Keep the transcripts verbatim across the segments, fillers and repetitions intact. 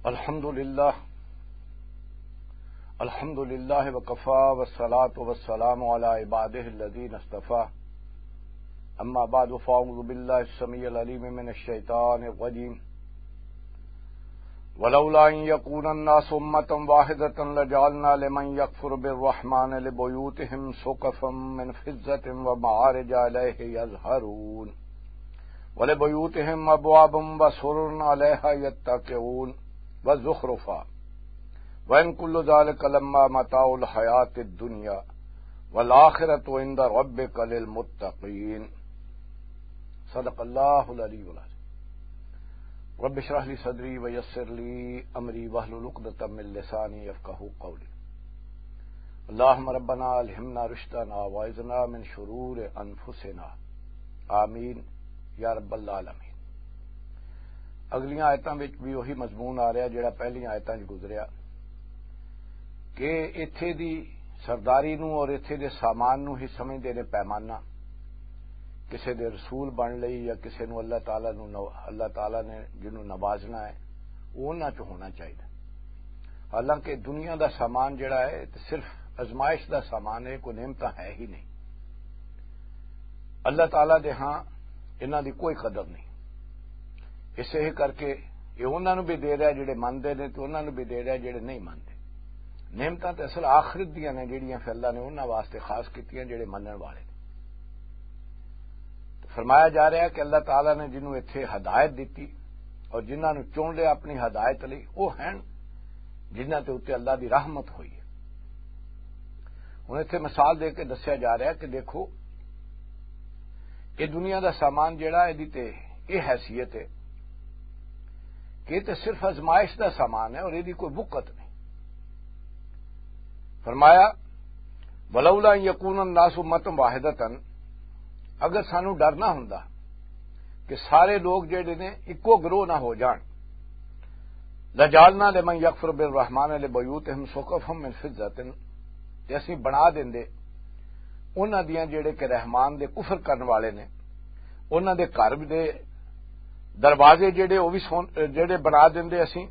الحمد لله. الحمد لله وكفى، والصلاة والسلام على عباده الذين اصطفى. أما بعد، فأعوذ بالله السميع العليم من الشيطان الرجيم. ولولا أن يكون الناس أمة واحدة لجعلنا لمن يكفر بالرحمن لبيوتهم سقفا من فضة ومعارج عليه يظهرون. ولبيوتهم أبواب وسرر عليها يتكئون وزخرفا. وإن كل ذلك لما متاع الحياة الدنيا والآخرة عند ربك للمتقين. صدق الله العلي العظيم. رب اشرح لي صدري ويسر لي أمري واحلل عقدة من لساني يفقهوا قولي. اللهم ربنا ألهمنا رشدنا وأعذنا من شرور أنفسنا. آمین یا رب العالمین۔ اگلیاں آیتاں وچ بھی وہی مضمون آ رہا جڑا پہلیاں آیتاں وچ گزریا، کہ ایتھے دی سرداری نوں اور ایتھے دے سامان نوں ہی سمجھدے نے پیمانہ، کسے دے رسول بن لئی یا کسے نوں اللہ تعالیٰ نوں نو-، اللہ تعالیٰ نے جنوں نوازنا ہے، وہ انہاں چ ہونا چاہیے۔ حالانکہ دنیا دا سامان جڑا ہے، تے صرف آزمائش دا سامان ہے، کوئی نعمت ہے ہی نہیں۔ اللہ تعالیٰ دے ہاں انہاں دی کوئی قدر نہیں۔ اسے ہی کر کے یہ انہاں نوں بھی دے رہا جڑے مندے نے، تے انہاں نوں بھی دے رہا جڑے نہیں مندے۔ نعمتاں تے اصل آخرت دیاں نے، جڑیاں پھر اللہ نے انہاں واسطے خاص کیتیاں جڑے منن والے نے۔ تے فرمایا جا رہا ہے کہ اللہ تعالیٰ نے جنوں اتھے ہدایت دتی اور جنہاں نوں چن لیا اپنی ہدایت لئی، وہ ہیں جنہاں تے اُتے اللہ دی رحمت ہوئی ہے۔ ہن اتھے مثال دے کے دسیا جا رہا ہے کہ دیکھو، یہ دنیا دا سامان جڑا ہے، دی تے یہ حیثیت ہے کہ یہ تے صرف آزمائش دا سامان ہے اور یہ دی کوئی بقت نہیں۔ فرمایا، "ولولا ان یکون الناس امة واحدة"، اگر سانو ڈر نہ ہوندا کہ سارے لوگ جڑے نے اکو گروہ نہ ہو جان، "لجعلنا لمن یکفر بالرحمن لبیوتہم سقفا من فضة"، تے اسی بنا دیندے انہاں دیاں جڑے کہ رحمان دے کفر کرن والے نے، انہاں دے گھر دے دروازے جڑے، او وی سون-، جڑے بنا دیندے اسی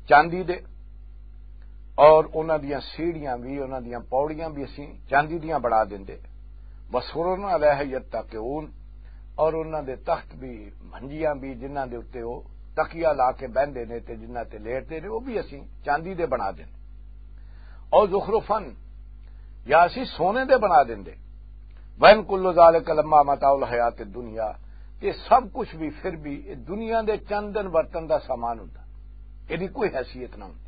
چاندی دے، اور انہاں دیاں سیڑھیاں وی، انہاں دیاں پوڑیاں وی اسی چاندی دیاں بنا دیندے۔ وسررا علیہ یتکئون، اور انہاں دے تخت وی، منجیاں وی، جنہاں دے اُتے او تکیہ لا کے بہندے نے تے جنہاں تے لیٹدے نے، او وی اسی چاندی دے بنا دیندے۔ او زخرفن، یا اسی سونے دے بنا دیندے۔ وَإِن كُلُّ ذَلِكَ لَمَّا مَتَاعُ الْحَيَاةِ الدُّنْيَا، یہ سب کچھ بھی پھر بھی یہ دنیا دے چند دن برتن دا سامان ہوندا، یہ دی کوئی حیثیت نہ ہوندی۔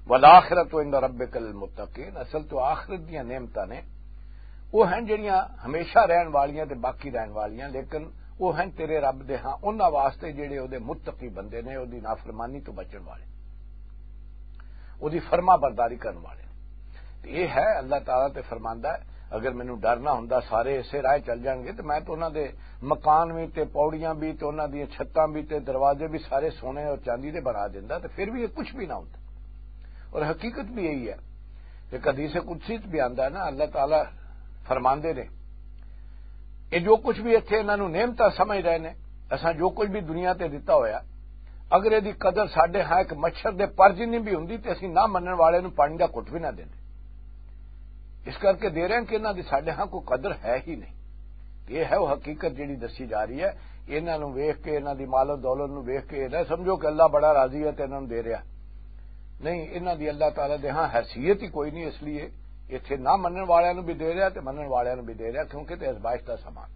وَالْآخِرَةُ عِندَ رَبِّكَ لِلْمُتَّقِينَ، اصل تو آخرت دیاں نعمتاں نے، وہ ہیں جڑیاں ہمیشہ رہن والیاں تے باقی رہن والیاں، لیکن وہ ہیں تیرے رب دے ہاں انہاں واسطے جڑے او دے متقی بندے نے، او دی نافرمانی تو بچن والے، او دی فرما برداری کرن والے۔ تے یہ ہے، اللہ تعالیٰ تے فرماندا ہے، اگر مینوں ڈر نہ ہوندا سارے اسے راہ چل جان گے، تے میں تو انہاں دے مکان بھی، تے پوڑیاں بھی، تے انہاں دیاں چھتاں بھی، تے دروازے بھی سارے سونے اور چاندی دے بنا دیندا، تے پھر بھی یہ کچھ بھی نہ ہوندا۔ اور حقیقت بھی یہی ہے۔ ایک حدیث قدسی چ بھی آندا ہے نا، اللہ تعالیٰ فرماندے نے، یہ جو کچھ بھی اتھے انہاں نوں نعمتاں سمجھ رہے نے، اساں جو کچھ بھی دنیا تے دتا ہویا، اگر یہ دی قدر ساڈے ہاں ایک مچھر دے پر جنی بھی ہوندی تے اسی نہ منن والے نوں پانی دا گھٹ بھی نہ دیندے۔ اس کر کے دے رہے ہیں کہ انہاں دی ساڈے ہاں کوئی قدر ہے ہی نہیں۔ یہ ہے وہ حقیقت جڑی دسی جا رہی ہے۔ انہاں نوں ویکھ کے، انہاں دی مال و دولت نوں ویکھ کے یہ نہ سمجھو کہ اللہ بڑا راضی ہے تے انہاں نوں دے رہا۔ نہیں، انہاں دی اللہ تعالیٰ دے ہاں حیثیت ہی کوئی نہیں، اس لیے اتھے نہ منن والیاں نوں بھی دے رہا تے منن والیاں نوں بھی دے رہا، کیونکہ تے آزمائش دا سامان۔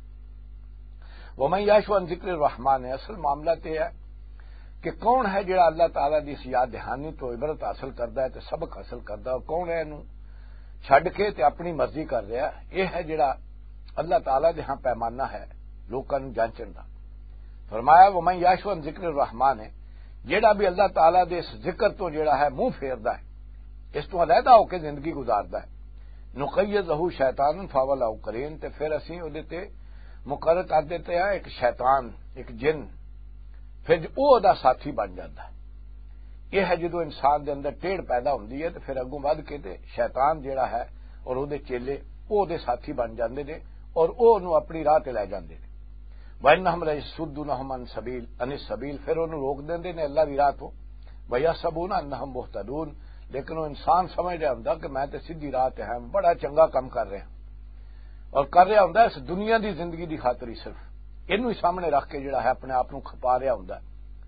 وَمَن يَعْشُ عَن ذِكْرِ الرَّحْمَٰنِ، اصل معاملہ تے ہے کہ کون ہے جڑا اللہ تعالیٰ دی اس یاد دہانی تو عبرت حاصل کردا ہے تے سبق حاصل کردا ہے، کون ہے اینوں چھڈ کے تے اپنی مرضی کر رہا ہے؟ یہ ہے جڑا اللہ تعالیٰ دے ہاں پیمانہ ہے لوکاں نوں جانچن دا۔ فرمایا، "وَمَن يَعْشُ عَن ذِكْرِ الرَّحْمَٰنِ"، جڑا بھی اللہ تعالیٰ دے اس ذکر تو جڑا ہے منہ پھیردا ہے، اس تو علیحدہ ہو کے زندگی گزاردا ہے، "نُقَيِّضْ لَهُ شَيْطَانًا فَهُوَ لَهُ قَرِينٌ"، تے پھر اسی او دے تے مقرر کر دیتے ہیں ایک شیطان، ایک جن، پھر او دا ساتھی بن جاتا ہے۔ یہ ہے جدوں انسان دے اندر ٹیڑھ پیدا ہوندی ہے تے پھر اگوں ودھ کے تے شیطان جیڑا ہے اور او دے چیلے او دے ساتھی بن جاندے نے اور او نوں اپنی راہ تے لے جاندے نے۔ وَإِنَّهُمْ لَيَصُدُّونَهُمْ عَنِ السَّبِيلِ، عَنِ السَّبِيلِ، پھر انہوں روک دیندے نے اللہ دی راہ تو۔ وَيَحْسَبُونَ أَنَّهُمْ مُهْتَدُونَ، لیکن وہ انسان سمجھ رہا ہوندا کہ میں تے سیدھی راہ تے ہاں، بڑا چنگا کام کر رہا ہاں، اور کر رہا ہوندا اس دنیا دی زندگی دی خاطر ہی صرف، اینوں ہی سامنے رکھ کے جڑا ہے اپنے آپ نوں کھپا رہا ہوندا ہے،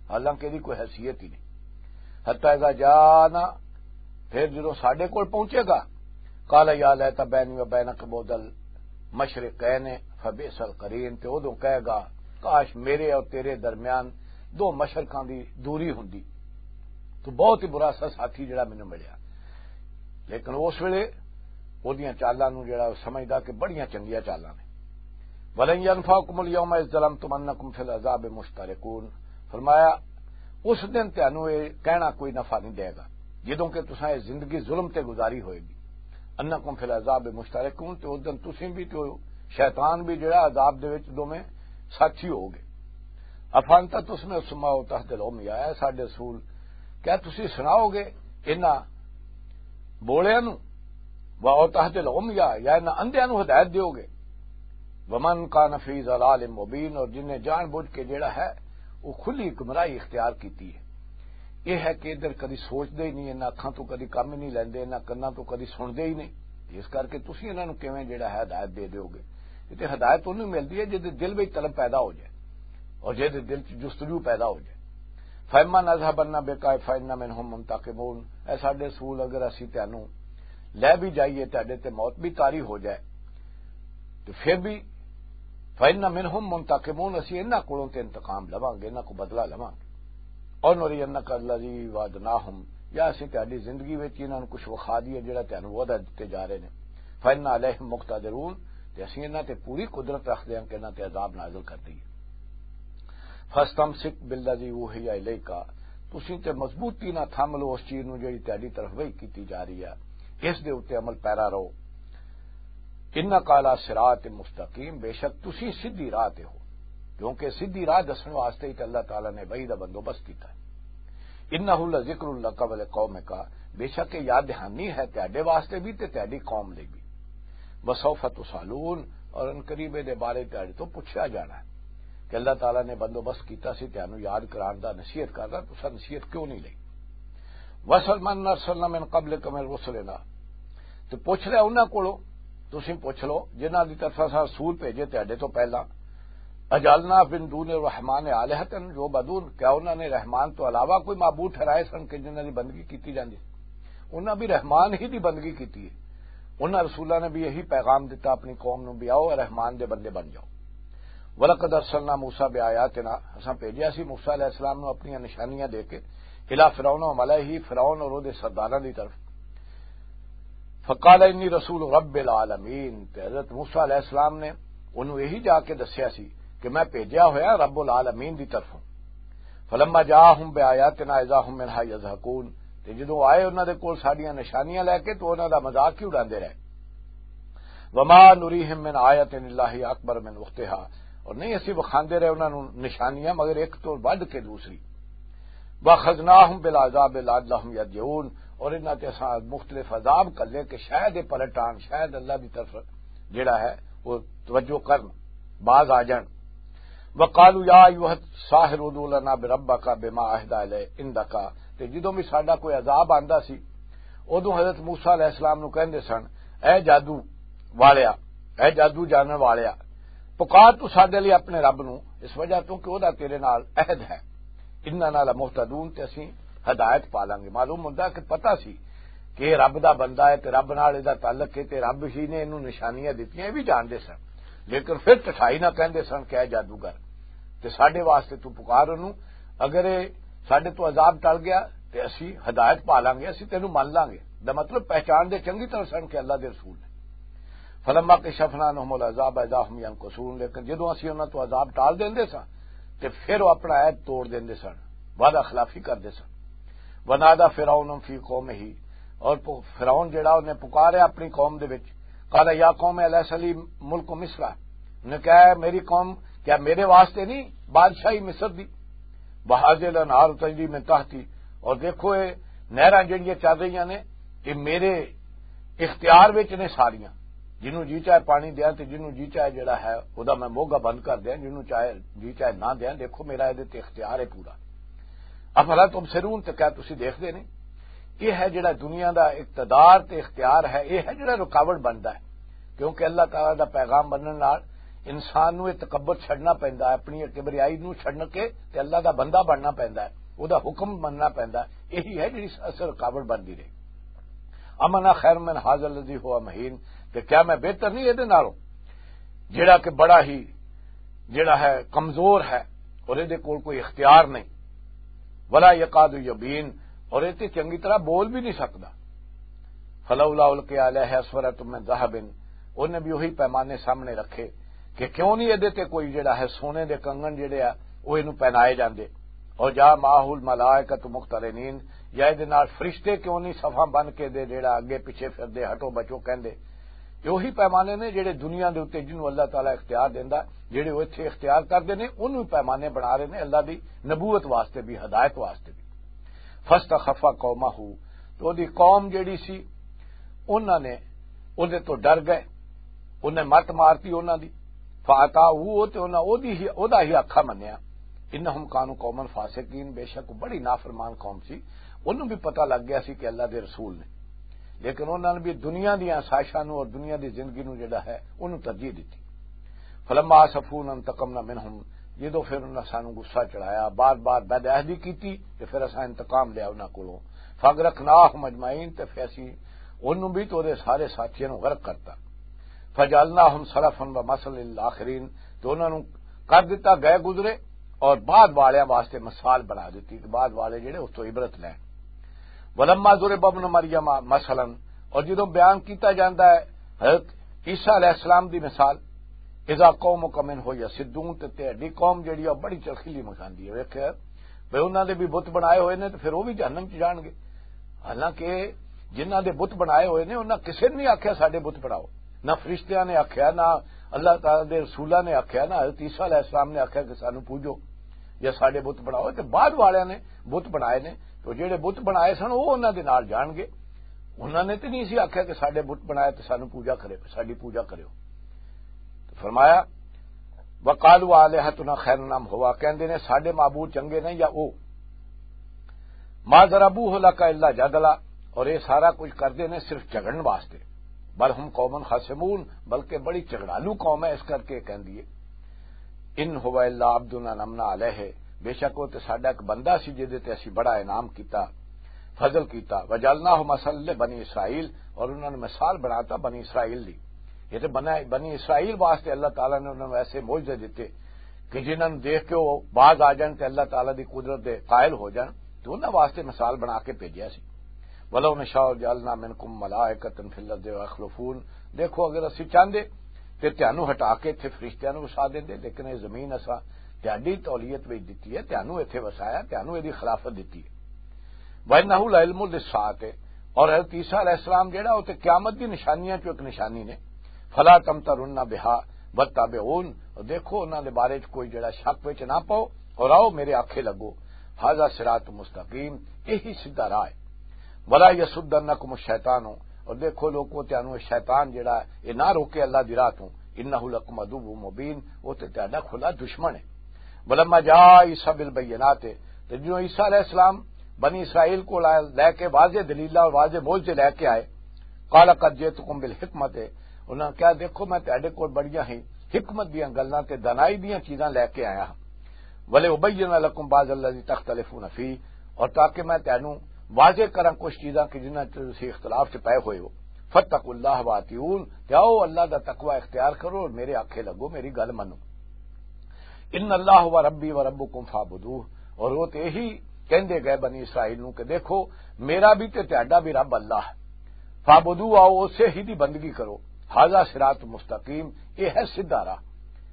حالانکہ ایہدی کوئی حیثیت ہی نہیں۔ حتی اذا جاءنا، پھر جدوں ساڈے کول پہنچے گا، قال یا لیت بینی و بینک بعد المشرقین فبئس القرین، تے اودوں کہے گا، کاش میرے اور تیرے درمیان دو مشرقاں دی دوری ہوندی، تو بہت ہی برا سا ساتھی جڑا مینوں ملیا۔ لیکن اس ویلے اودیاں چالاں نوں جڑا سمجھدا کہ بڑیاں چنگیاں چالاں نے۔ ولن ينفعكم اليوم إذ ظلمتم أنكم في العذاب مشتركون۔ فرمایا، اس دن تانوں یہ کہنا کوئی نفع نہیں دے گا، جدوں کہ تساں یہ زندگی ظلم تے گزاری ہوئے گی۔ أنكم في العذاب مشتركون، تے اس دن تسیں بھی تے شیطان بھی جڑا عذاب دے وچ دوویں ساتھی ہو گئے۔ أفأنت تسمع الصم أو تهدي العمي، اے ساڈے رسول، کیا تسی سناؤ گے انہاں بولیاں نوں؟ و او تہد العمیا، یا انہاں اندھیاں نوں ہدایت دیو گے؟ ومن کان فی ضلال مبین، اور جن نے جان بوجھ کے جیڑا ہے وہ کھلی گمراہی اختیار کیتی ہے۔ یہ ہے کہ ادھر کدی سوچدے ہی نہیں، انہاں اکھاں تو کدی کم ہی نہیں لیندے، انہاں کناں تو کدی سنتے ہی نہیں۔ اس کر کے تسی انہاں نوں کیویں جیڑا ہے ہدایت دے دیو گے؟ یہ تے ہدایت انہوں ملدی ہے جہدے دل وچ طلب پیدا ہو جائے اور جہدے دل چ جستجو پیدا ہو جائے۔ فَإِمَّا نَذْهَبَنَّ بِكَ فَإِنَّ مِنْهُمْ مُنْتَقِمُونَ، اے ساڈے رسول، اگر اسی تینوں لے بھی جائیے، تہاڈے تے موت بھی طاری ہو جائے، تو پھر بھی فَإِنَّ مِنْهُمْ مُنْتَقِمُونَ، اسی انہاں کولوں تے انتقام لواں گے، انہاں کو بدلہ لواں گے۔ اور نُرِيَنَّكَ الَّذِي وَعَدْنَاهُمْ، یا اسی تہاڈی زندگی وچ انہاں نوں کچھ وکھا دئیے جڑا تینوں وعدہ دتے جا رہے نے۔ فَإِنَّا عَلَيْهِمْ مُقْتَدِرُونَ، تے اسی انہاں تے پوری قدرت رکھدے ہاں کہ انہاں تے عذاب نازل کر دئیے۔ فَاسْتَمْسِكْ بِالَّذِي أُوحِيَ إِلَيْكَ، تسی تے مضبوطی نہ تھام لو اس چیز نوں جڑی تہاڈی طرف وحی کیتی جا رہی ہے، اس دے اُتے عمل پیرا رہو۔ إِنَّكَ عَلَى صِرَاطٍ مُسْتَقِيمٍ، بے شک تسی سیدھی راہ تے ہو، کیونکہ سیدھی راہ دسن واسطے ہی تے اللہ تعالیٰ نے وحی دا بندوبست کیتا ہے۔ إِنَّهُ لَذِكْرٌ لَكَ وَلِقَوْمِكَ، بے شک یہ یاد دہانی ہے تہاڈے واسطے بھی تے تہاڈی قوم لئی بھی۔ وَسَوْفَ تُسْأَلُونَ، اور ان قریب دے بارے تہاڈے تو پوچھا جانا ہے کہ اللہ تعالیٰ نے بندوبست کیتا سی تہانوں یاد کران دا، نصیحت کردا، تساں نصیحت کیوں نہیں لئی؟ وَاسْأَلْ مَنْ أَرْسَلْنَا مِنْ قَبْلِكَ مِنْ رُسُلِنَا، تے پوچھ لیا انہاں کولوں، تسی پوچھ لو جنہاں دی طرف اساں رسول بھیجے تہاڈے تو پہلا۔ أَجَعَلْنَا مِنْ دُونِ الرَّحْمَنِ آلِهَةً يُعْبَدُونَ، کیا انہاں نے رحمان تو علاوہ کوئی معبود ٹھہرائے سن کہ جنہاں دی بندگی کیتی جاندی؟ انہاں بھی رحمان ہی دی بندگی کیتی ہے۔ انہاں رسولاں نے بھی یہی پیغام دتا اپنی قوم نوں بھی آؤ، رحمان دے بندے بن جاؤ۔ وَلَقَدْ أَرْسَلْنَا مُوسَىٰ بِآيَاتِنَا، اساں بھیجیا سی موسیٰ علیہ السلام نوں اپنیاں نشانیاں دے کے، إِلَىٰ فِرْعَوْنَ وَمَلَئِهِ، فرعون اور اودے سرداراں دی طرف۔ فَقَالَ إِنِّي رَسُولُ رَبِّ الْعَالَمِينَ، تے حضرت موسیٰ علیہ السلام نے انہوں یہی جا کے دسیا سی کہ میں بھیجیا ہویا رب العالمین دی طرفوں۔ فَلَمَّا جَاءَهُم بِآيَاتِنَا إِذَا هُم مِّنْهَا يَضْحَكُونَ، تے جدوں آئے انہاں دے کول ساڈیاں نشانیاں لے کے تو انہاں دا مذاق ہی اڑاندے رہے۔ وَمَا نُرِيهِم مِّنْ آيَةٍ إِلَّا هِيَ أَكْبَرُ مِنْ أُخْتِهَا، اور نہیں اسی وکھاندے رہے انہاں نوں نشانیاں مگر ایک تو ودھ کے دوسری۔ وَأَخَذْنَاهُم بِالْعَذَابِ لَعَلَّهُمْ يَرْجِعُونَ، اور انہاں تے اساں مختلف عذاب کر لے کہ شاید یہ پلٹ آن، شاید اللہ دی طرف جڑا ہے وہ توجہ کرن، باز آ جان۔ وَقَالُوا يَا أَيُّهَ السَّاحِرُ ادْعُ لَنَا رَبَّكَ بِمَا عَهِدَ عِندَكَ، تے جدوں بھی ساڈا کوئی عذاب آندا سی، ادوں حضرت موسیٰ علیہ السلام نوں کہندے سن، اے جادو والیا، اے جادو جانن والیا، پکار تو ساڈے لئی اپنے رب نوں، اس وجہ تو کہ او دا تیرے نال عہد ہے۔ اِنَّنَا لَمُهْتَدُونَ، تے اسیں ہدایت پا لانگے۔ معلوم ہوندا کہ پتہ سی کہ یہ رب دا بندہ ہے تے رب نال ادا تعلق ہے تے رب ہی نے اینوں نشانیاں دتیاں، یہ بھی جانتے سن، لیکن پھر ٹٹھائی نہ کہندے سن کہ اے جادوگر، تے ساڈے واسطے تو پکار انہوں، اگر یہ ساڈے تو عذاب ٹل گیا تے اسی ہدایت پا لانگے، اسی تینوں من لانگے۔ دا مطلب پہچان دے چنگی طرح سن کہ اللہ دے رسول نے۔ فَلَمَّا كَشَفْنَا عَنْهُمُ الْعَذَابَ إِذَا هُمْ يَنْكُثُونَ، لیکن جدوں اسی انہاں تو عذاب ٹال دیندے ساں تے پھر وہ اپنا عہد توڑ دیندے سن، وعدہ خلافی کردے سن۔ وَنَادَىٰ فِرْعَوْنُ فِي قَوْمِهِ، اور پ-، فرعون جڑا انہیں پکاریا اپنی قوم دے وچ، قَالَ يَا قَوْمِ أَلَيْسَ لِي مُلْكُ مِصْرَ، انہیں کہا، "اے میری قوم، کیا میرے واسطے نہیں بادشاہی مصر دی؟ وَهَٰذِهِ الْأَنْهَارُ تَجْرِي مِن تَحْتِي، اور دیکھو یہ نہراں جڑیاں چل رہیاں نے، یہ میرے اختیار وچ نے ساریاں، جنوں جی چاہے پانی دیاں تے جنوں جی چاہے جڑا ہے او دا میں موگا بند کر دیاں، جنوں چاہے جی چاہے نہ دیاں، دیکھو میرا یہ تے اختیار ہے پورا۔" افلا تبصرون، تے کیا تسی دیکھدے نہیں؟ یہ ہے جڑا دنیا دا اقتدار تے اختیار ہے، یہ ہے جڑا رکاوٹ بندا ہے۔ کیونکہ اللہ تعالیٰ دا پیغام بنن نال انسان نوں یہ تکبر چھڈنا پیندا ہے، اپنی یہ کبریائی نوں چھڈ کے تے اللہ دا بندہ بننا پیندا ہے، او دا حکم مننا پیندا ہے۔ یہی ہے جڑی اصل رکاوٹ بندی رہی۔ امن خیر من ھذا الذی ھو مھین، تے کیا میں بہتر نہیں یہ نالوں، جڑا کہ بڑا ہی، جڑا ہے، کمزور ہے اور یہ کول کوئی اختیار نہیں؟ ولا یکاد یبین، اور یہ تے چنگی طرح بول بھی نہیں سکدا۔ فلولا القی علیہ اسورۃ من ذہب، انہیں بھی وہی پیمانے سامنے رکھے کہ کیوں نہیں یہ تے کوئی جڑا ہے سونے دے کنگن جڑے آ، وہ اینوں پہنائے جاندے۔ اور جا معہ الملائکۃ مقترنین، یا یہ نال فرشتے کیوں نہیں صفاں بن کے دے جڑا اگے پیچھے پھردے، ہٹو بچو کہندے۔ یہ وہی پیمانے نے جڑے دنیا دے اُتے جنوں اللہ تعالیٰ اختیار دیندا، جڑے وہ اتھے اختیار کردے نے، انہوں پیمانے بنا رہے نے اللہ دی نبوت واسطے بھی، ہدایت واسطے بھی۔ فاستخف قومہ، تو دی قوم جڑی سی، انہاں نے اودے تو ڈر گئے، انہیں مت مارتی انہاں دی۔ فاطاعوہ، تے انہاں اودی ہی، اودا ہی آکھا منیا۔ انہم کانوا قوما فاسقین، بے شک وہ بڑی نافرمان قوم سی۔ انہوں بھی پتہ لگ گیا سی کہ اللہ دے رسول نے، لیکن انہوں نے بھی دنیا دیاں آسائشاں نوں اور دنیا دی زندگی نوں جڑا ہے، انہوں ترجیح دتی۔ فلما آسفونا انتقمنا منہم، جدوں پھر انہاں سانوں غصہ چڑھایا، بار بار بد عہدی کیتی، تے پھر اساں انتقام لیا انہاں کولوں۔ فاغرقناہم اجمعین، تے پھر اسی انہوں بھی تے اودے سارے ساتھیاں نوں غرق کرتا۔ فجعلناہم سلفا و مثلا للآخرین، تے انہاں نوں کر دتا گئے گزرے اور بعد والیاں واسطے مثال بنا دتی کہ بعد والے جڑے اس تو عبرت لین۔ ولما ضرب ابن مریم مثلا، اور جدوں بیان کیتا جاندا ہے حضرت عیسیٰ علیہ السلام دی مثال، اذا قومک منہ یصدون، تے تیری قوم جڑی ہے بڑی چرخیلی مچاندی ہے۔ ویکھے بھئی انہاں دے بھی بت بنائے ہوئے نے تے پھر وہ بھی جہنم چ جان گے۔ حالانکہ جنہاں دے بت بنائے ہوئے نے، انہاں کسے نے نہیں آکھیا ساڈے بت بناؤ، نہ فرشتیاں نے آکھیا، نہ اللہ تعالیٰ دے رسولاں نے آکھیا، نہ حضرت عیسیٰ علیہ السلام نے آکھیا کہ سانو پوجو یا ساڈے بت بناؤ۔ تے بعد والیاں نے بت بنائے نے، تو جڑے بت بنائے سن، وہ انہاں دے نال جان گے۔ انہاں نے تے نہیں سی آکھیا کہ ساڈے بت بنائے تے سانو پوجا کرے، ساڈی پوجا کریو۔ تو فرمایا، وقالوا آلہتنا خیر ام ہوا، کہندے نے ساڈے معبود چنگے نے یا او۔ ما ضربوہ لک الا جدلا، اور یہ سارا کچھ کردے نے صرف جھگڑن واسطے۔ بل ہم قوم خصمون، بلکہ بڑی جھگڑالو قوم ہے، اس کر کے کہندی ہے۔ ان ہو الا عبدنا نمنا علیہ، بے شک وہ تے ساڈا ایک بندہ سی جدے تے اسی بڑا انعام کیتا، فضل کیتا۔ وجعلناہ مثلا لبنی اسرائیل، اور انہوں نے مثال بناتا بنی اسرائیل دی۔ یہ تے بنا-، بنی اسرائیل واسطے اللہ تعالیٰ نے انہوں نے ایسے معجزے دیتے کہ جنہاں نوں دیکھ کے وہ باز آ جان تے اللہ تعالیٰ دی قدرت دے قائل ہو جان، تو انہاں واسطے مثال بنا کے بھیجیا سی۔ ولو نشاء جعلنا منکم ملائکۃ فی الارض یخلفون، دیکھو اگر اسی چاہندے تے تانوں ہٹا کے اتھے فرشتیاں نوں وسا دیندے، لیکن یہ زمین اساں تہاڈی تولیت وچ دتی ہے، تانوں اتھے وسایا، تانوں ایدی خلافت دتی ہے۔ وَإِنَّهُ لَعِلْمٌ لِلسَّاعَةِ، اور حضرت عیسیٰ علیہ السلام جڑا، وہ تے قیامت دی نشانیاں چوں ایک نشانی نے۔ فَلَا تَمْتَرُنَّ بِهَا وَاتَّبِعُونِ، اور دیکھو انہاں دے بارے چ کوئی جڑا شک وچ نہ پاؤ اور آؤ میرے آکھے لگو۔ هَذَا صِرَاطٌ مُسْتَقِيمٌ، یہی سیدھا راہ ہے۔ وَلَا يَصُدَّنَّكُمُ الشَّيْطَانُ، اور دیکھو لوکو، تانوں شیطان جڑا ہے، یہ نہ روکے اللہ دی راہ توں۔ إِنَّهُ لَكُمْ عَدُوٌّ مُّبِينٌ، وہ تے تہاڈا کھلا دشمن ہے۔ ولما جاء عیسیٰ بالبینات، تے جو عیسیٰ علیہ السلام بنی اسرائیل کو لے کے واضح دلیلہ اور واضح معجزے لے کے آئے، قال قد جئتکم بالحکمۃ، انہاں نے کہا، دیکھو میں تہاڈے کول بڑیاں ہی حکمت دیاں گلاں تے دانائی دیاں چیزاں لے کے آیا ہاں۔ ولابین لکم بعض الذی تختلفون فیہ، اور تاکہ میں تہانوں واضح کراں کچھ چیزاں کہ جنہاں چ تسی اختلاف چ پے ہوئے ہو۔ فاتقوا اللہ واطیعون، تے آؤ اللہ دا تقوی اختیار کرو اور میرے آکھے لگو، میری گل منو۔ ان اللہ ہوا ربی و ربکم فاعبدوہ، اور وہ تے یہی کہندے گئے بنی اسرائیل نوں کہ دیکھو، میرا بھی تے تہاڈا بھی رب اللہ ہے۔ فاعبدوہ، آؤ اسے ہی دی بندگی کرو۔ ھذا صراط مستقیم، یہ ہے سیدھا راہ۔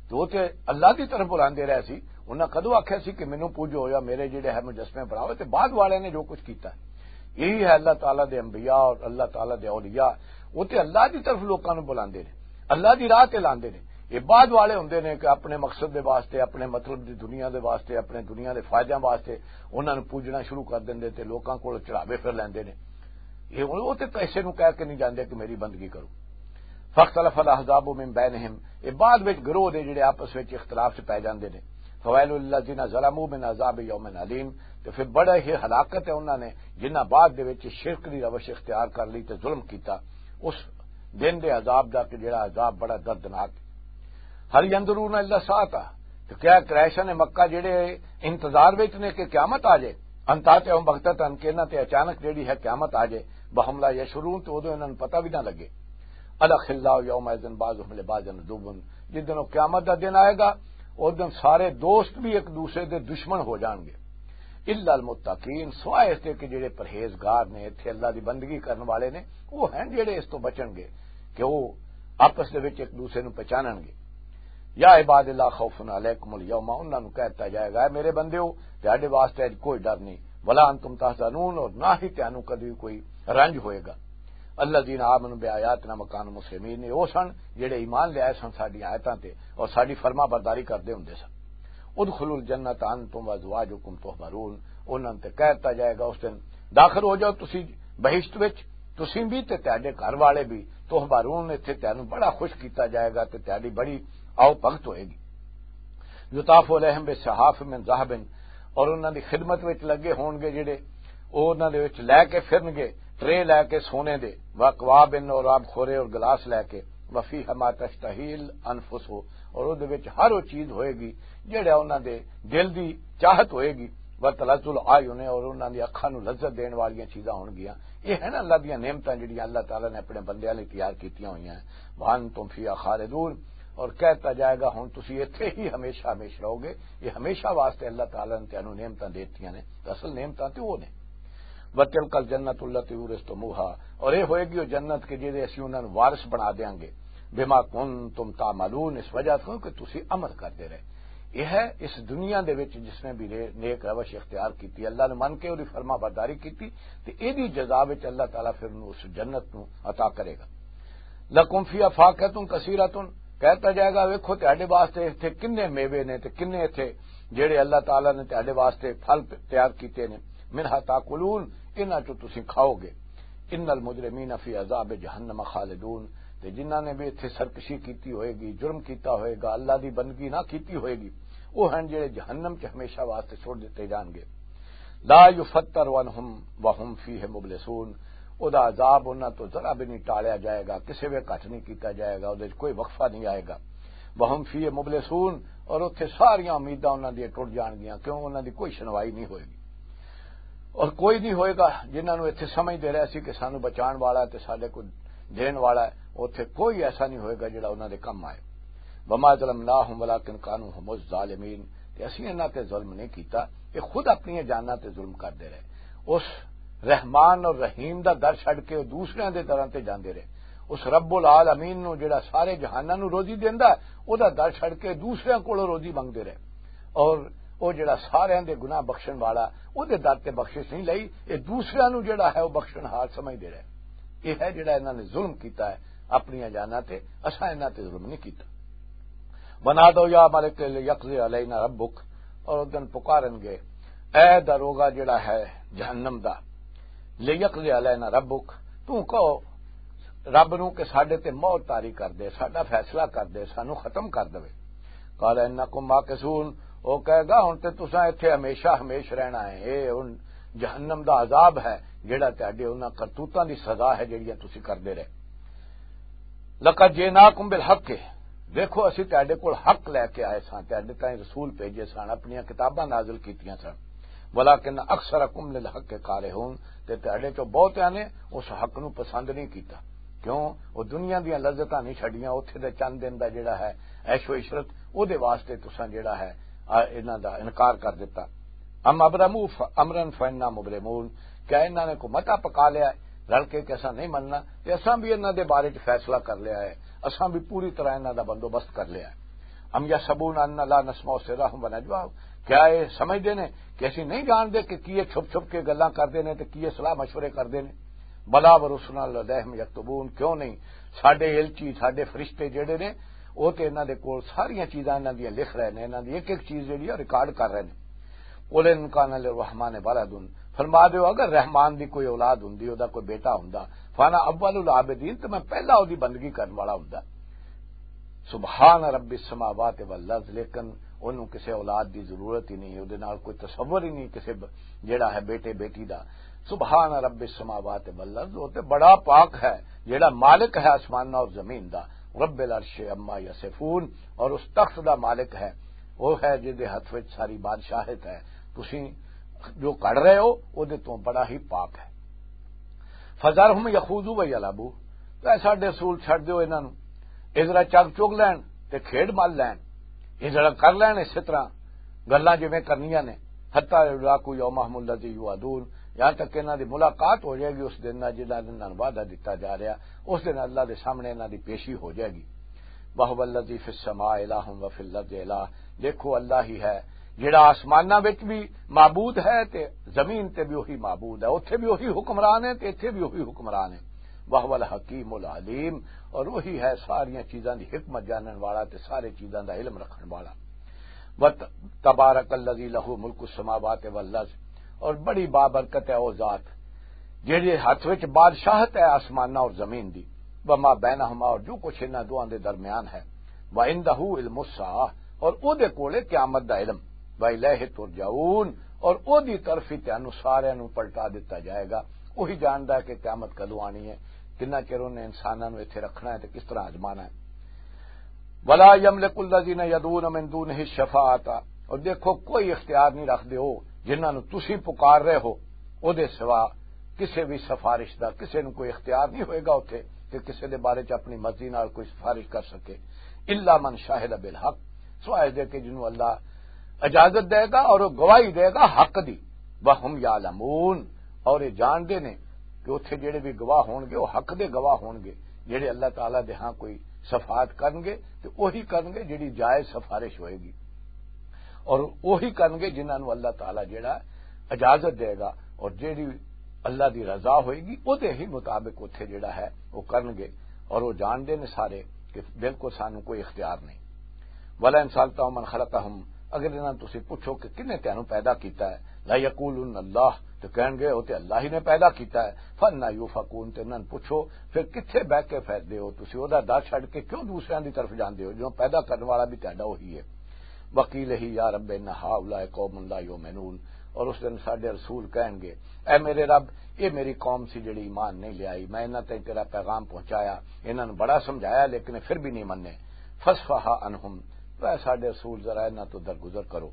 تو وہ تے اللہ دی طرف بلاندے رہے سی، انہاں کدوں آکھیا سی کہ مینوں پوجو یا میرے جڑے ہے مجسمے بناؤ؟ تے بعد والے نے جو کچھ کیتا ہے۔ یہی ہے اللہ تعالیٰ دے انبیاء اور اللہ تعالیٰ دے اولیاء، وہ تے اللہ دی طرف لوکاں نوں بلاندے نے، اللہ دی راہ تے لاندے نے۔ یہ بعد والے ہوندے نے کہ اپنے مقصد دے واسطے، اپنے مطلب دی دنیا دے واسطے، اپنے دنیا دے فائدیاں واسطے انہاں نوں پوجنا شروع کر دیندے تے لوکاں کول چڑھاوے پھر لیندے نے۔ یہ ہن وہ تے کسے نوں کہہ کے نہیں جاندے کہ میری بندگی کرو۔ فاختلف الاحزاب من بینہم، یہ بعد وچ گروہ دے جڑے آپس وچ اختلاف چ پے جاندے نے۔ فویل للذین ظلموا من عذاب یوم علیم۔ تے پھر بڑا ہی ہلاکت ہے انہاں نے، جنہاں بعد دے وچ شرک دی روش اختیار کر لی تے ظلم کیتا، اس دن دے عذاب دا کہ جڑا عذاب بڑا دردناک ہے۔ ہل ینظرون الا الساعۃ، تو کیا قریشان مکہ جڑے انتظار وچ نے کہ قیامت آ جائے؟ ان تاتیہم بغتۃ، کہ انہاں تے اچانک جڑی ہے قیامت آ جائے، وہم لا یشعرون، تو اودوں انہاں نوں پتہ بھی نہ لگے۔ الاخلاء یومئذ بعضهم لبعض عدو، جس دن وہ قیامت دا دن آئے گا، اس دن سارے دوست بھی ایک دوسرے دے دشمن ہو جان گے۔ الا المتقین، سوائے اس دے کہ جڑے پرہیزگار نے، اتھے اللہ دی بندگی کرن والے نے، وہ ہیں جڑے اس تو بچن گے کہ وہ آپس دے وچ ایک دوسرے نوں پہچانن گے۔ یا عباد اللہ خوف علیکم الیوم، انہاں نوں کہتا جائے گا، "اے میرے بندیو، تہاڈے واسطے اج کوئی ڈر نہیں، ولا انتم تحزنون، اور نہ ہی تانوں کدی کوئی رنج ہوئے گا۔" الذین آمنوا بآیاتنا وکانوا مسلمین، یہ وہ سن جڑے ایمان لے آئے سن ساڈی آیتاں تے اور ساڈی فرما برداری کردے ہوندے سن۔ ادخلوا الجنۃ انتم وازواجکم تحبرون، انہاں تے کہہ دتا جائے گا اس دن، "داخل ہو جاؤ تسی بہشت وچ، تسی بھی تے تہاڈے گھر والے بھی، تحبرون، اتھے تہانوں بڑا خوش کیتا جائے گا تے تہاڈی بڑی آؤ بھگت ہوئے گی۔" یطاف علیہم بصحاف من ذہب، اور انہاں دی خدمت وچ لگے ہون گے جڑے، او انہاں دے وچ لے کے پھرن گے ٹرے لے کے سونے دے، واکواب، اور آب خورے اور گلاس لے کے، وفیہ ما تشتہی الانفس، اور او دے وچ ہر وہ چیز ہوئے گی جڑا انہاں دے دل دی چاہت ہوئے گی، وتلذ الاعین، اور انہاں دی اکھاں نوں لذت دین والیاں چیزاں ہون گیاں۔ یہ ہیں اللہ دیاں نعمتاں جڑیاں اللہ تعالیٰ نے اپنے بندیاں لئی تیار کیتیاں ہوئیاں ہیں۔ وانتم فیہا خالدون، اور کہتا جائے گا، "ہن تسی ایتھے ہی ہمیشہ ہمیش رہو گے۔" یہ ہمیشہ واسطے اللہ تعالیٰ نے تینوں نعمتاں دیتیاں نے، تے اصل نعمتاں تے وہ نے۔ وتلک الجنت التی اورثتموہا، اور یہ ہوئے گی وہ جنت کہ جہدے اسی انہاں نوں وارث بنا دیاں گے، بما کنتم تعملون، اس وجہ سے کہ تسی عمل کردے رہے۔ یہ ہے اس دنیا دے وچ جس نے بھی رے-، نیک روش اختیار کیتی، اللہ نے من کے اوہدی فرما برداری کیتی، تے ایہدی جزا وچ اللہ تعالیٰ پھر انہوں اس جنت نوں عطا کرے گا۔ لکم فیہا فاکہۃ کثیرۃ، کہتا جائے گا، "ویکھو تہاڈے واسطے اتھے کنے میوے نے تے کنے اتھے جڑے اللہ تعالیٰ نے تہاڈے واسطے پھل پ-، تیار کیتے نے، منہا تاکلون، انہاں چوں تسی کھاؤ گے۔ ان المجرمین فی عذاب جہنم خالدون"، تے جنہاں نے بھی اتھے سرکشی کیتی ہوئے گی، جرم کیتا ہوئے گا، اللہ دی بندگی نہ کیتی ہوئے گی، وہ ہیں جڑے جہنم چ ہمیشہ واسطے چھوڑ دتے جان گے۔ لا یفتر عنہم وہم فیہ مبلسون، او دا عذاب انہاں تو ذرا بھی نہیں ٹالیا جائے گا، کسے وے گھٹ نہیں کیتا جائے گا، اودے وچ کوئی وقفہ نہیں آئے گا۔ وہم فیہ مبلسون، اور اتھے ساریاں امیداں انہاں دیاں ٹوٹ جان گیاں، کیوں انہاں دی کوئی سنوائی نہیں ہوئے گی۔ اور کوئی نہیں ہوئے گا جنہاں نوں اتھے سمجھ دے رہے سی کہ سانوں بچان والا ہے تے ساڈے کو دین والا ہے، اتھے کوئی ایسا نہیں ہوئے گا جڑا انہاں دے کم آئے۔ وما ظلمناہم ولکن کانوا ھم الظالمین، تے اسی انہاں تے ظلم نہیں کیتا، یہ خود اپنی جاناں تے ظلم کردے رہے۔ اس رحمان اور رحیم دا در چھڈ کے وہ دوسرے دے دراں تے جاندے رہے۔ اس رب العالمین نو جڑا سارے جہاناں نو روزی دیندا، او دا در چھڈ کے دوسرے کولوں روزی منگدے رہے۔ اور او جڑا سارے دے گناہ بخشن والا، او دے در تے بخشش نہیں لئی، اے دوسرے نو جڑا ہے وہ بخشن ہار سمجھدے رہے۔ یہ ہے جڑا انہاں نے ظلم کیتا ہے اپنی جاناں تے، اساں انہاں تے ظلم نہیں کیتا۔ ونادوا یا مالک لیقضی علینا ربک، اور اس دن پکارن گے، اے داروغہ جڑا ہے جہنم دا، لیقضی علینا ربک، تو کہو رب نو کہ ساڈے تے مہر طاری کر دے، ساڈا فیصلہ کر دے، سانو ختم کر دے۔ قال انکم ماکثون، او کہے گا، "ہن تے تساں ایتھے ہمیشہ ہمیش رہنا ہے، اے ہن جہنم دا عذاب ہے، جڑا تہاڈے انہاں کرتوتاں دی سزا ہے، جڑیاں تسی کردے رہے۔" لقد جئناکم بالحق، دیکھو، اسی تہاڈے کول حق لے کے آئے ساں، تہاڈے تائیں رسول بھیجے سن، اپنیاں کتاباں نازل کیتیاں سن، ولکن اکثرکم للحق کارہون، تے تہاڈے چوں بہتیاں نے اس حق نو پسند نہیں کیتا۔ کیوں؟ وہ دنیا دیاں لذتاں نہیں چھڈیاں، اوتھے دے چند دن دا جڑا ہے عیش و عشرت، او دے واسطے تساں جڑا ہے، آ، انہاں دا انکار کر دتا۔ ام ابرموا ف-، امرا فانا مبرمون، کیا انہاں نے کوئی متا پکا لیا ہے رل کے کہ اساں نہیں مننا، تے اساں بھی انہاں دے بارے چ فیصلہ کر لیا ہے، اساں بھی پوری طرح انہاں دا بندوبست کر لیا ہے۔ ام یحسبون انا لا نسمع سرهم ونجواهم، کیا یہ سمجھدے نے کہ اسی نہیں جانتے کہ کی یہ چھپ چھپ کے گلاں کردے نے تے کی یہ صلاح مشورے کردے نے؟ بلا ورسلنا لدیهم یکتبون، کیوں نہیں؟ ساڈے علچی، ساڈے فرشتے جڑے نے، او تے انہاں دے کول ساریاں چیزاں انہاں دیاں لکھ رہے نے، انہاں دی ایک ایک چیز جڑی ہے ریکارڈ کر رہے نے۔ قل ان کان للرحمن ولد، فرما دیو، اگر رحمان دی کوئی اولاد ہوندی، او دا کوئی بیٹا ہوندا، فانا اول العابدین، تے میں پہلا او دی بندگی کرن والا ہوندا۔ سبحان رب السماوات والارض، لیکن انہوں کسے اولاد دی ضرورت ہی نہیں، اودے نال کوئی تصور ہی نہیں کسے ب-، جیڑا ہے بیٹے بیٹی دا۔ سبحان رب السماوات والارض، وہ تے بڑا پاک ہے، جیڑا مالک ہے آسماناں اور زمین دا، رب العرش عما یصفون، اور اس تخت دا مالک ہے، وہ ہے جس دے ہاتھ وچ ساری بادشاہت ہے۔ تسی جو کر رہے ہو، وہ دے تو بڑا ہی پاک ہے۔ فذرہم یخوضوا ویلعبوا، تو اے ساڈے رسول چھڈ دیو انہاں نوں، اے ذرا چگ چگ لین تے کھیڈ مل لین، اے ذرا کر لین اسی طرح گلاں جویں کرنیاں نے، حتی یلاقوا یومہم الذی یوعدون، یہاں تک کہ انہاں دی ملاقات ہو جائے گی اس دن نال جنہاں دے نال وعدہ دتا جا رہا، اس دن اللہ دے سامنے انہاں دی پیشی ہو جائے گی۔ وَهُوَ الَّذِي فِي السَّمَاءِ إِلَٰهٌ وَفِي الْأَرْضِ إِلَٰهٌ، دیکھو اللہ ہی ہے جڑا آسماناں وچ بھی معبود ہے تے زمین تے بھی وہی معبود ہے، اوتھے بھی وہی حکمران ہے تے ایتھے بھی وہی حکمران ہے۔ وَهُوَ الْحَكِيمُ الْعَلِيمُ، اور وہی ہے ساریاں چیزاں دی حکمت جانن والا تے سارے چیزاں دا علم رکھن والا۔ وَتَبَارَكَ الَّذِي لَهُ مُلْكُ السَّمَاوَاتِ وَالْأَرْضِ، اور بڑی بابرکت ہے او ذات جہدے ہاتھ وچ بادشاہت ہے آسماناں اور زمین دی، وما بینہما، اور جو کچھ انہاں دوواں دے درمیان ہے، وعندہ علم الساعہ، اور او دے کولے قیامت دا علم، وإلیہ ترجعون، اور او دی طرف ہی تانوں سارے نوں پلٹا دتا جائے گا۔ وہی جاندا ہے کہ قیامت کدوں آنی ہے، کنا چر انہیں انساناں نوں ایتھے رکھنا ہے تے کس طرح آزمانا ہے۔ ولا یملک الذین یدعون من دونہ الشفاعۃ، اور دیکھو کوئی اختیار نہیں رکھدے ہو جنہاں نوں تسی پکار رہے ہو، او دے سوا کسے بھی سفارش دا کسے نوں کوئی اختیار نہیں ہوئے گا اتھے کہ کسے دے بارے چ اپنی مرضی نال کوئی سفارش کر سکے۔ الا من شہد بالحق، سوائے دے کہ جنوں اللہ اجازت دے گا اور وہ گواہی دے گا حق دی۔ وہم یعلمون، اور یہ جانتے نے کہ اتھے جڑے بھی گواہ ہون گے، وہ حق دے گواہ ہون گے۔ جڑے اللہ تعالیٰ دے ہاں کوئی شفاعت کرن گے، تے وہی کرن گے جڑی جائز سفارش ہوئے گی، اور وہی کرن گے جنہاں نوں اللہ تعالیٰ جڑا اجازت دے گا، اور جڑی اللہ دی رضا ہوئے گی، وہ دے ہی مطابق اتھے جڑا ہے وہ کرن گے، اور وہ جانتے نے سارے کہ بالکل سانوں کوئی اختیار نہیں۔ وَلَئِن سَأَلْتَهُم مَّنْ خَلَقَهُمْ، اگر انہاں تسی پوچھو کہ کنے تینوں پیدا کیتا ہے، لَيَقُولُنَّ اللَّهُ، تو کہیں گے وہ تے اللہ ہی نے پیدا کیتا ہے۔ فَأَنَّىٰ يُؤْفَكُونَ، تے انہاں نوں پوچھو پھر کتھے بہ کے پھردے ہو تسی، او دا در چھڈ کے کیوں دوسریاں دی طرف جاندے ہو، جو پیدا کرن والا بھی تہاڈا وہی ہے۔ وَقِيلَ يَا رَبِّ إِنَّ هَٰؤُلَاءِ قَوْمٌ لَّا يُؤْمِنُونَ، اور اس دن ساڈے رسول کہیں گے، اے میرے رب، یہ میری قوم سی جڑی ایمان نہیں لے آئی، میں انہاں تائیں تیرا پیغام پہنچایا، انہاں نوں بڑا سمجھایا لیکن پھر بھی نہیں مننے۔ فَاصْفَحْ عَنْهُمْ، تو اے ساڈے رسول ذرا انہاں تو درگزر کرو،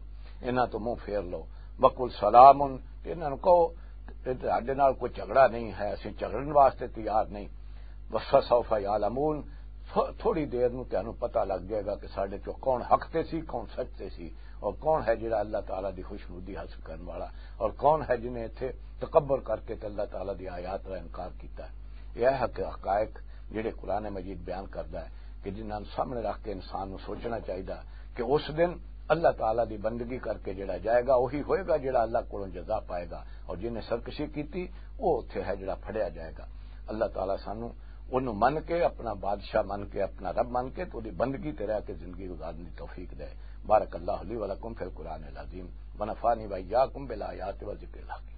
انہاں تو منہ پھیر لو۔ وَقُلْ سَلَامٌ، تے انہاں نوں کہو کہ تہاڈے نال کوئی جھگڑا نہیں ہے، اسی جھگڑن واسطے تیار نہیں۔ وَسَوْفَ يَعْلَمُونَ، تھو-، تھوڑی دیر نوں تہانوں پتہ لگ جائے گا کہ ساڈے چوں کون حق تے سی، کون سچ تے سی، اور کون ہے جڑا اللہ تعالیٰ دی خوشنودی حاصل کرن والا، اور کون ہے جنہیں ایتھے تکبر کر کے تے اللہ تعالیٰ دی آیات دا انکار کیتا ہے۔ یہ ہے حق-، حقائق جڑے قرآن مجید بیان کردا ہے کہ جنہاں نوں سامنے رکھ کے انسان نوں سوچنا چاہیدا کہ اس دن اللہ تعالیٰ دی بندگی کر کے جڑا جائے گا، وہی ہوئے گا جڑا اللہ کولوں جزا پائے گا، اور جنہیں سرکشی کیتی، وہ اتھے ہے جڑا پھڑیا جائے گا۔ اللہ تعالیٰ سانوں اونوں من کے، اپنا بادشاہ من کے، اپنا رب من کے، تو دی بندگی تے رہ کے زندگی گزارن دی توفیق دے۔ بارک اللہ لی و لکم فی القرآن العظیم، ونفعنی و ایاکم بالآیات و ذکر الحکیم۔